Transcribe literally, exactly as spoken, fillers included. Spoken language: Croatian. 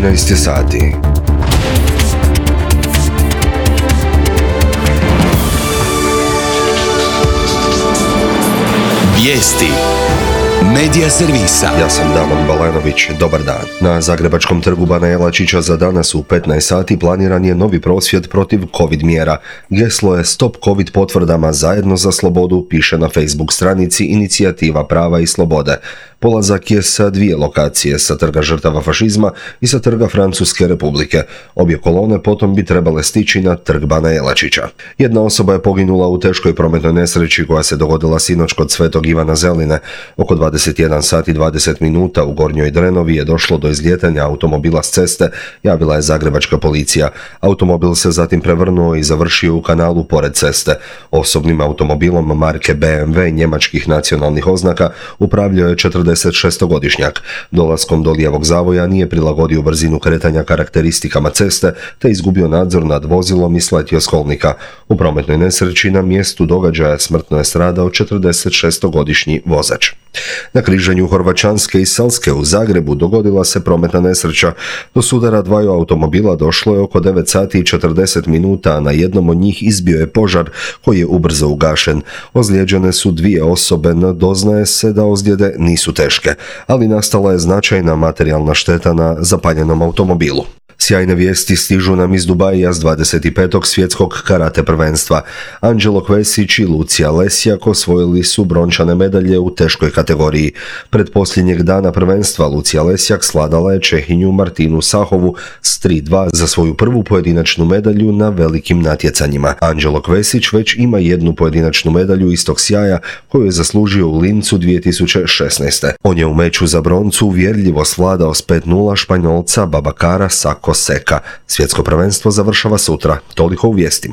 trinaest je sati. Vijesti Medija servisa. Ja sam Damon Balenović, dobar dan. Na Zagrebačkom trgu Bana Jelačića za danas u petnaest sati planiran je novi prosvjed protiv COVID mjera. Geslo je Stop COVID potvrdama zajedno za slobodu, piše na Facebook stranici Inicijativa prava i slobode. Polazak je sa dvije lokacije, sa trga žrtava fašizma i sa trga Francuske republike. Obje kolone potom bi trebale stići na trg Bana Jelačića. Jedna osoba je poginula u teškoj prometnoj nesreći koja se dogodila sinoć kod Svetog Ivana Zeline. Oko dvadeset jedan sati i dvadeset minuta u Gornjoj Drenovi je došlo do izlijetanja automobila s ceste, javila je zagrebačka policija. Automobil se zatim prevrnuo i završio u kanalu pored ceste. Osobnim automobilom marke B M W njemačkih nacionalnih oznaka upravljao je četrdesetšestogodišnjak. Dolaskom do lijevog zavoja nije prilagodio brzinu kretanja karakteristikama ceste, te izgubio nadzor nad vozilom i sletio s kolnika. U prometnoj nesreći na mjestu događaja smrtno je stradao četrdesetšestogodišnji vozač. Na križanju Horvaćanske i Selske u Zagrebu dogodila se prometna nesreća. Do sudara dvaju automobila došlo je oko devet sati i četrdeset minuta, a na jednom od njih izbio je požar koji je ubrzo ugašen. Ozlijeđene su dvije osobe, no doznaje se da ozljede nisu teške, ali nastala je značajna materijalna šteta na zapaljenom automobilu. Sjajne vijesti stižu nam iz Dubaija s dvadeset petog svjetskog karate prvenstva. Anđelo Kvesić i Lucija Lesjak osvojili su brončane medalje u teškoj kategoriji. Pred posljednjeg dana prvenstva Lucija Lesjak svladala je Čehinju Martinu Sahovu s tri dva za svoju prvu pojedinačnu medalju na velikim natjecanjima. Anđelo Kvesić već ima jednu pojedinačnu medalju istog sjaja koju je zaslužio u Lincu dvije tisuće šesnaeste. On je u meču za broncu uvjerljivo svladao s pet nula Španjolca Babakara Sako Seka. Svjetsko prvenstvo završava sutra. Toliko u vijestima.